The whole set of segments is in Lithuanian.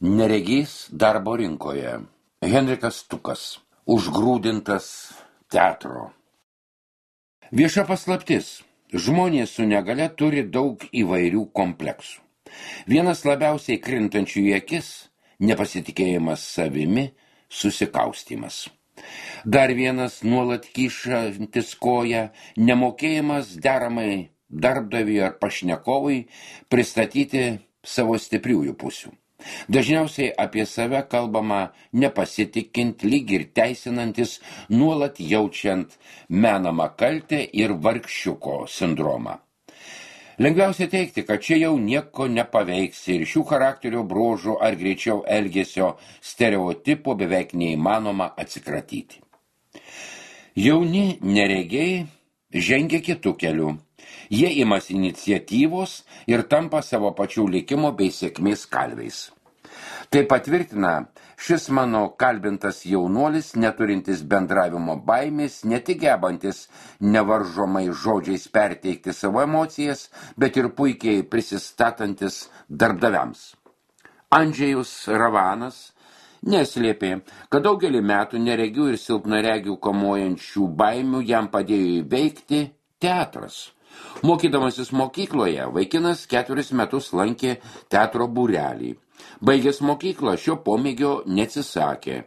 Neregys darbo rinkoje. Henrikas Stukas. Užgrūdintas teatro. Vieša paslaptis. Žmonės su negale turi daug įvairių kompleksų. Vienas labiausiai krintančių į akis – nepasitikėjimas savimi, susikaustymas. Dar vienas nuolat kyšantis koją – nemokėjimas deramai darbdaviui ar pašnekovui pristatyti savo stipriųjų pusių. Dažniausiai apie save kalbama nepasitikint, lyg ir teisinantis, nuolat jaučiant menamą kaltę ir vargšiuko sindromą. Lengviausia teigti, kad čia jau nieko nepaveiksi ir šių charakterio bruožų ar greičiau elgesio stereotipų beveik neįmanoma atsikratyti. Jauni neregiai žengia kitų kelių. Jie imasi iniciatyvos ir tampa savo pačių likimo bei sėkmės kalviais. Tai patvirtina šis mano kalbintas jaunuolis, neturintis bendravimo baimės, ne tik gebantis nevaržomai žodžiais perteikti savo emocijas, bet ir puikiai prisistatantis darbdaviams. Andžejus Ravanas neslėpė, kad daugelį metų neregių ir silpnaregių kamuojančių baimių jam padėjo įveikti teatras. Mokydamasis mokykloje, vaikinas 4 metus lankė teatro būrelį. Baigęs mokyklą šio pomėgio neatsisakė.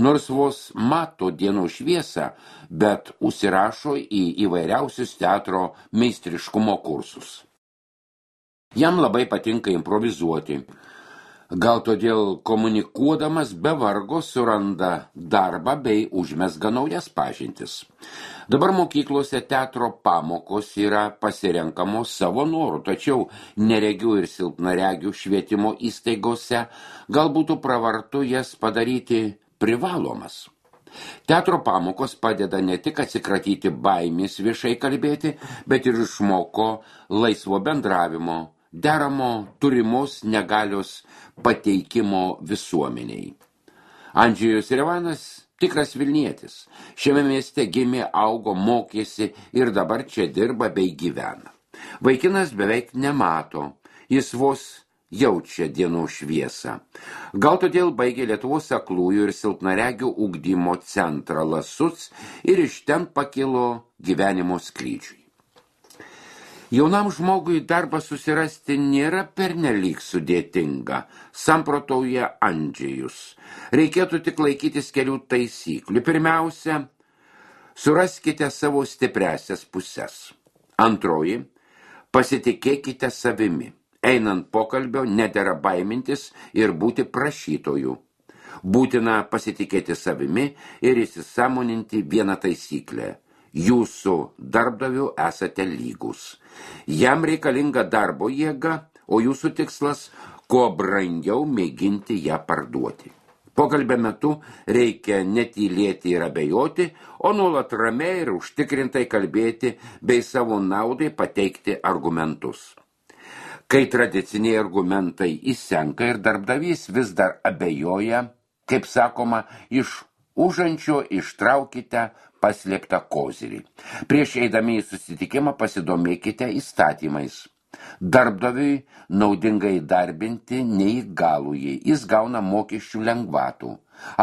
Nors vos mato dienos šviesą, bet užsirašo į įvairiausius teatro meistriškumo kursus. Jam labai patinka improvizuoti. Gal todėl komunikuodamas be vargo suranda darbą bei užmezga naujas pažintis. Dabar mokyklose teatro pamokos yra pasirenkamos savo norų, tačiau neregių ir silpnaregių švietimo įstaigose gal būtų pravartu jas padaryti privalomas. Teatro pamokos padeda ne tik atsikratyti baimės viešai kalbėti, bet ir išmoko laisvo bendravimo, deramo turimos negalios pateikimo visuomeniai. Andžejus Ravanas tikras Vilnietis. Šiame mieste gimė, augo, mokėsi ir dabar čia dirba bei gyvena. Vaikinas beveik nemato, jis vos jaučia dienos šviesą. Gal todėl baigė Lietuvos aklųjų ir silpnaregių ugdymo centrą Lasuc ir iš ten pakilo gyvenimo skrydžiui. Jaunam žmogui darbą susirasti nėra pernelyg sudėtinga, samprotauja Andžejus. Reikėtų tik laikytis kelių taisyklių. Pirmiausia, suraskite savo stipriasias puses. Antroji, pasitikėkite savimi. Einant pokalbio nedera baimintis ir būti prašytoju. Būtina pasitikėti savimi ir įsisąmoninti vieną taisyklę. Jūsų darbdaviu esate lygus. Jam reikalinga darbo jėga, o jūsų tikslas kuo brangiau mėginti ją parduoti. Pokalbio metu reikia netylėti ir abejoti, o nuolat ramiai ir užtikrintai kalbėti bei savo naudai pateikti argumentus. Kai tradiciniai argumentai įsenka ir darbdavys vis dar abejoja, kaip sakoma, iš užančio ištraukite paslėptą kozirį. Prieš eidami į susitikimą pasidomėkite įstatymais. Darbdaviui naudinga įdarbinti neįgalųjį, jis gauna mokesčių lengvatų.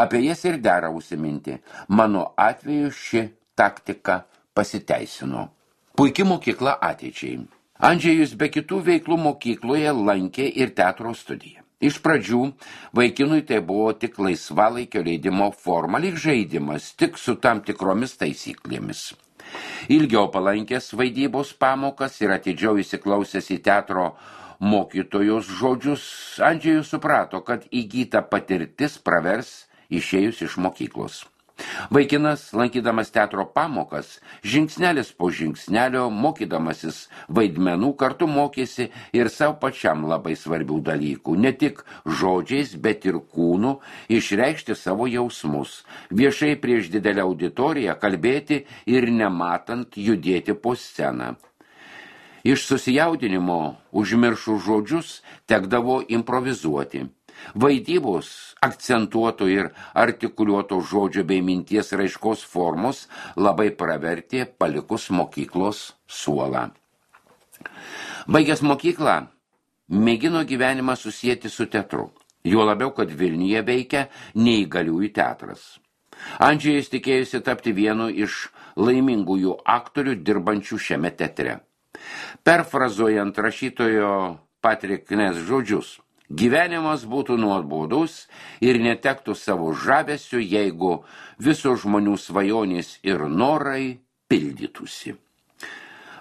Apie jas ir dera užsiminti. Mano atveju ši taktika pasiteisino. Puiki mokykla ateičiai. Andžejus be kitų veiklų mokykloje lankė ir teatro studiją. Iš pradžių vaikinui tai buvo tik laisvalaikio leidimo forma, lyg žaidimas, tik su tam tikromis taisyklėmis. Ilgiau palankęs vaidybos pamokas ir atidžiau įsiklausęs į teatro mokytojos žodžius, Andžejus suprato, kad įgyta patirtis pravers išėjus iš mokyklos. Vaikinas, lankydamas teatro pamokas, žingsnelis po žingsnelio, mokydamasis vaidmenų, kartu mokėsi ir savo pačiam labai svarbių dalykų, ne tik žodžiais, bet ir kūnu, išreikšti savo jausmus, viešai prieš didelę auditoriją kalbėti ir nematant judėti po sceną. Iš susijaudinimo užmiršų žodžius tekdavo improvizuoti. Vaidybos akcentuoto ir artikuliuoto žodžio bei minties raiškos formos labai pravertė palikus mokyklos suolą. Baigęs mokyklą, mėgino gyvenimą susieti su teatru. Juo labiau, kad Vilniuje veikia neįgaliųjų teatras. Andžejus tikėjusi tapti vienu iš laimingųjų aktorių dirbančių šiame teatre. Perfrazuojant rašytojo Patrick Ness žodžius, gyvenimas būtų nuobodus ir netektų savo žavesių, jeigu viso žmonių svajonės ir norai pildytųsi.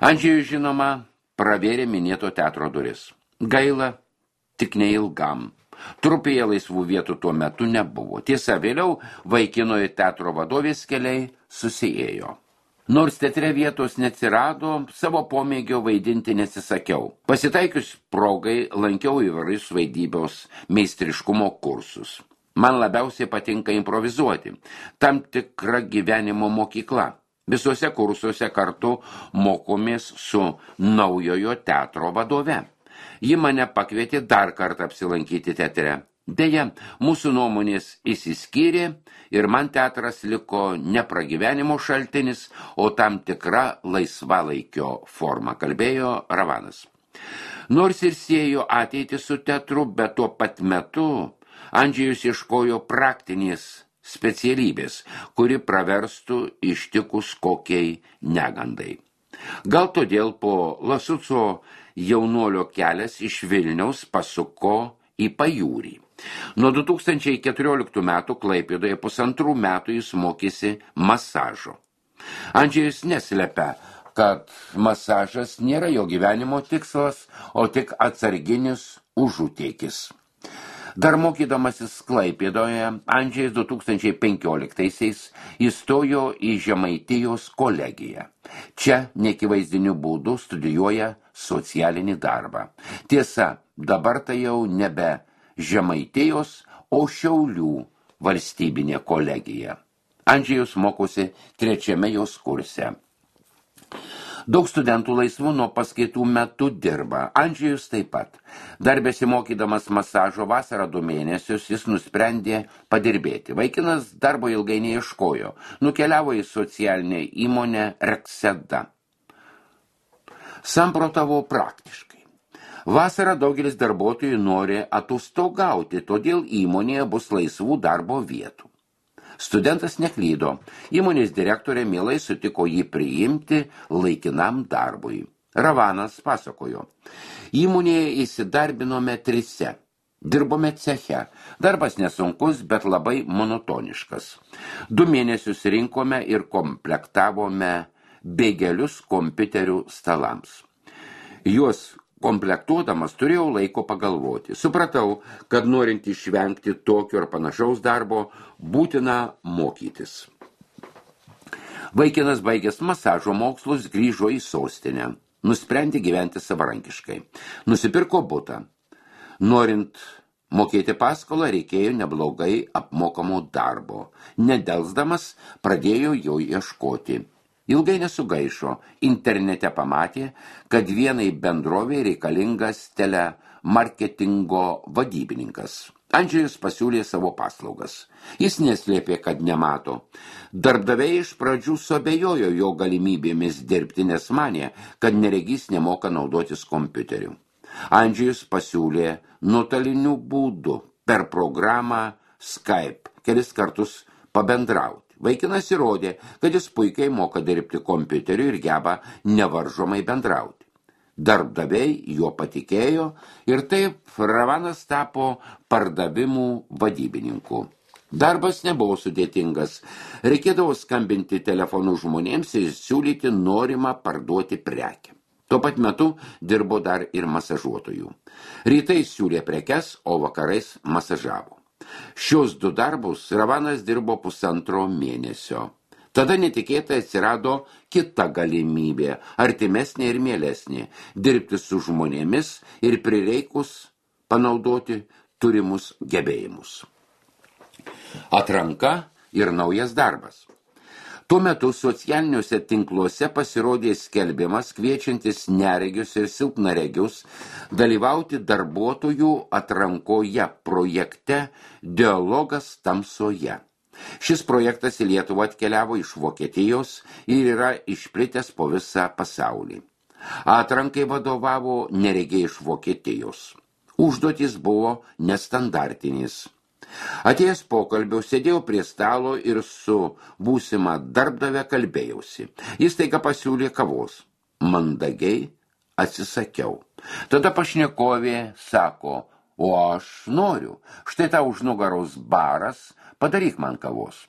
Andžejus, žinoma, pravėrė minėto teatro duris. Gaila, tik neilgam. Trupėje laisvų vietų tuo metu nebuvo. Tiesa, vėliau vaikinojo teatro vadovės keliai susiėjo. Nors teatre vietos neatsirado, savo pomėgio vaidinti nesisakiau. Pasitaikius progai lankiau įvairius vaidybos meistriškumo kursus. Man labiausiai patinka improvizuoti. Tam tikra gyvenimo mokykla. Visuose kursuose kartu mokomės su naujojo teatro vadove. Ji mane pakvietė dar kartą apsilankyti teatre. Deja, mūsų nuomonės išsiskyrė ir man teatras liko ne pragyvenimo šaltinis, o tam tikra laisvalaikio forma, kalbėjo Ravanas. Nors ir siejo ateitį su teatru, bet tuo pat metu Andžejus ieškojo praktinės specialybės, kuri praverstų ištikus kokiai negandai. Gal todėl po Lasuco jaunuolio kelias iš Vilniaus pasuko į pajūrį. Nuo 2014 metų Klaipėdoje 1,5 metų jis mokėsi masažo. Andžejus neslepia, kad masažas nėra jo gyvenimo tikslas, o tik atsarginis užutėkis. Dar mokydamasis Klaipėdoje, Andžejus 2015-aisiais įstojo į Žemaitijos kolegiją. Čia neakivaizdiniu būdu studijuoja socialinį darbą. Tiesa, dabar tai jau nebe Žemaitijos, o Šiaulių valstybinė kolegija. Andžejus mokosi 3. jos kurse. Daug studentų laisvų nuo paskaitų metu dirba. Andžejus taip pat. Dar besimokydamas masažo vasarą 2 mėnesius, jis nusprendė padirbėti. Vaikinas darbo ilgai neieškojo. Nukeliavo į socialinę įmonę Rekseda. Samprotavo praktiškai. Vasarą daugelis darbuotojų nori atostogauti, todėl įmonėje bus laisvų darbo vietų. Studentas neklydo. Įmonės direktorė mielai sutiko jį priimti laikinam darbui. Ravanas pasakojo. Įmonėje įsidarbinome 3. Dirbome ceche. Darbas nesunkus, bet labai monotoniškas. 2 mėnesius rinkome ir komplektavome bėgelius kompiuterių stalams. Juos komplektuodamas turėjau laiko pagalvoti. Supratau, kad norint išvengti tokio ar panašaus darbo, būtina mokytis. Vaikinas baigęs masažo mokslus grįžo į sostinę. Nusprendė gyventi savarankiškai. Nusipirko butą. Norint mokėti paskolą, reikėjo neblogai apmokamo darbo. Nedelsdamas pradėjo jo ieškoti. Ilgai nesugaišo, internete pamatė, kad vienai bendrovei reikalingas telemarketingo vadybininkas. Andžejus pasiūlė savo paslaugas. Jis neslėpė, kad nemato. Darbdaviai iš pradžių suabejojo jo galimybėmis dirbti, nes manė, kad neregys nemoka naudotis kompiuteriu. Andžejus pasiūlė nuotoliniu būdu per programą Skype kelis kartus pabendrauti. Vaikinas įrodė, kad jis puikiai moka dirbti kompiuteriu ir geba nevaržomai bendrauti. Darbdaviai juo patikėjo ir taip Ravanas tapo pardavimų vadybininku. Darbas nebuvo sudėtingas. Reikėdavo skambinti telefonu žmonėms ir siūlyti norimą parduoti prekę. Tuo pat metu dirbo dar ir masažuotojų. Rytais siūlė prekes, o vakarais masažavo. Šios 2 darbus Ravanas dirbo 1,5 mėnesio. Tada netikėtai atsirado kita galimybė, artimesnė ir mielesnė, dirbti su žmonėmis ir prireikus panaudoti turimus gebėjimus. Atranka ir naujas darbas. Tuo metu socialiniuose tinkluose pasirodė skelbimas kviečiantis neregius ir silpnaregius dalyvauti darbuotojų atrankoje projekte Dialogas tamsoje. Šis projektas į Lietuvą atkeliavo iš Vokietijos ir yra išplitęs po visą pasaulį. Atrankai vadovavo neregiai iš Vokietijos. Užduotys buvo nestandartinis. Atėjęs pokalbio, sėdėjau prie stalo ir su būsima darbdavė kalbėjausi. Jis taiga pasiūlė kavos. Mandagiai atsisakiau. Tada pašnekovė sako, o aš noriu. Štai tau už nugaros baras, padaryk man kavos.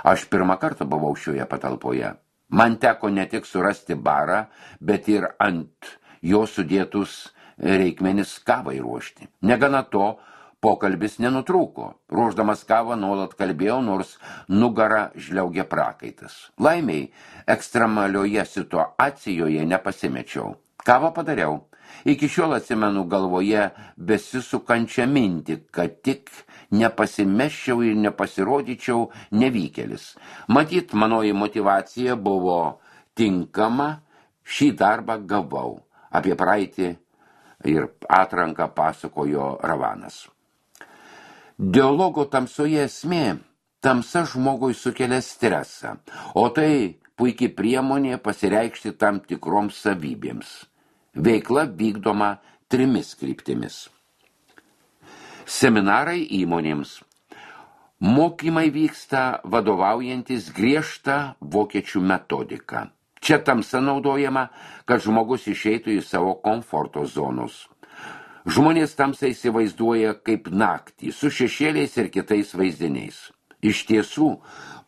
Aš pirmą kartą buvau šioje patalpoje. Man teko ne tik surasti barą, bet ir ant jo sudėtus reikmenis kavai ruošti. Negana to, pokalbis nenutrūko. Ruošdamas kavą nuolat kalbėjau, nors nugarą žliaugė prakaitas. Laimiai, ekstremalioje situacijoje nepasimečiau. Kavą padariau. Iki šiol atsimenu galvoje besisukančią mintį, kad tik nepasimeščiau ir nepasirodyčiau nevykėlis. Matyt, manoji motyvacija buvo tinkama, šį darbą gavau. Apie praeitį ir atranką pasakojo Ravanas. Dialogo tamsoje esmė, tamsa žmogui sukelia stresą, o tai puikiai priemonė pasireikšti tam tikroms savybėms. Veikla vykdoma 3 kryptimis. Seminarai įmonėms. Mokymai vyksta vadovaujantis griežtą vokiečių metodiką. Čia tamsa naudojama, kad žmogus išeitų į savo komforto zonus. Žmonės tamsą įsivaizduoja kaip naktį, su šešėliais ir kitais vaizdiniais. Iš tiesų,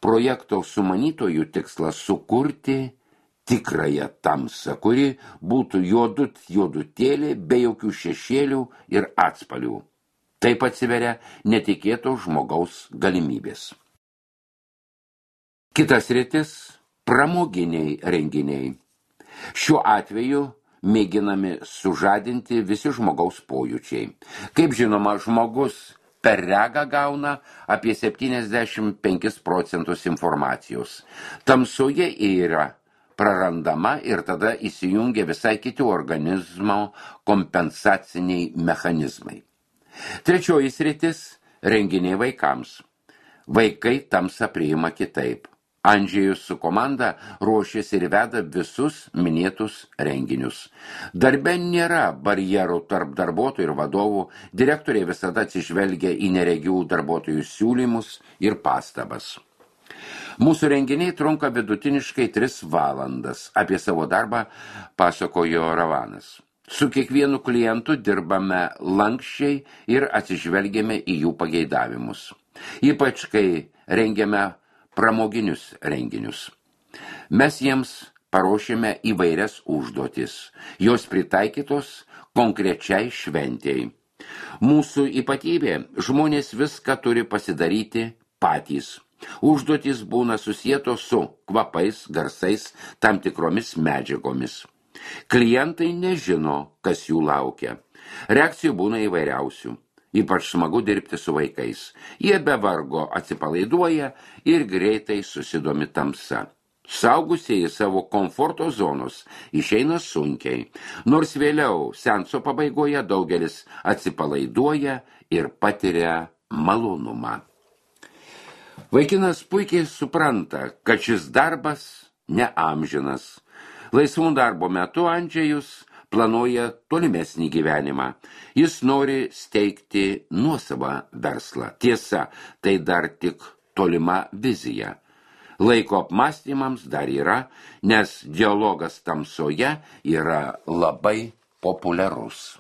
projekto sumanytojų tikslas sukurti tikrąją tamsą, kuri būtų juodutėlė be jokių šešėlių ir atspalių. Taip atsiveria netikėto žmogaus galimybės. Kitas sritis – pramoginiai renginiai. Šiuo atveju mėginami sužadinti visi žmogaus pojūčiai. Kaip žinoma, žmogus per regą gauna apie 75% informacijos. Tamsoje yra prarandama ir tada įsijungia visai kiti organizmo kompensaciniai mechanizmai. Trečioji sritis – renginiai vaikams. Vaikai tamsą priima kitaip. Andžejus su komanda ruošiasi ir veda visus minėtus renginius. Darbe nėra barjerų tarp darbuotojų ir vadovų, direktoriai visada atsižvelgia į neregių darbuotojų siūlymus ir pastabas. Mūsų renginiai trunka vidutiniškai 3 valandas. Apie savo darbą pasakojo Ravanas. Su kiekvienu klientu dirbame lankščiai ir atsižvelgiame į jų pageidavimus. Ypač kai rengiame pramoginius renginius. Mes jiems paruošėme įvairias užduotis. Jos pritaikytos konkrečiai šventėjai. Mūsų ypatybė – žmonės viską turi pasidaryti patys. Užduotys būna susietos su kvapais, garsais, tam tikromis medžiagomis. Klientai nežino, kas jų laukia. Reakcijų būna įvairiausių. Ypač smagu dirbti su vaikais. Jie be vargo atsipalaiduoja ir greitai susidomi tamsa. Saugusieji savo komforto zonos išeina sunkiai, nors vėliau seanso pabaigoje daugelis atsipalaiduoja ir patiria malonumą. Vaikinas puikiai supranta, kad šis darbas neamžinas. Laisvų darbo metu Andžejus planuoja tolimesnį gyvenimą. Jis nori steigti nuosavą verslą. Tiesa, tai dar tik tolima vizija. Laiko apmąstymams dar yra, nes dialogas tamsoje yra labai populiarus.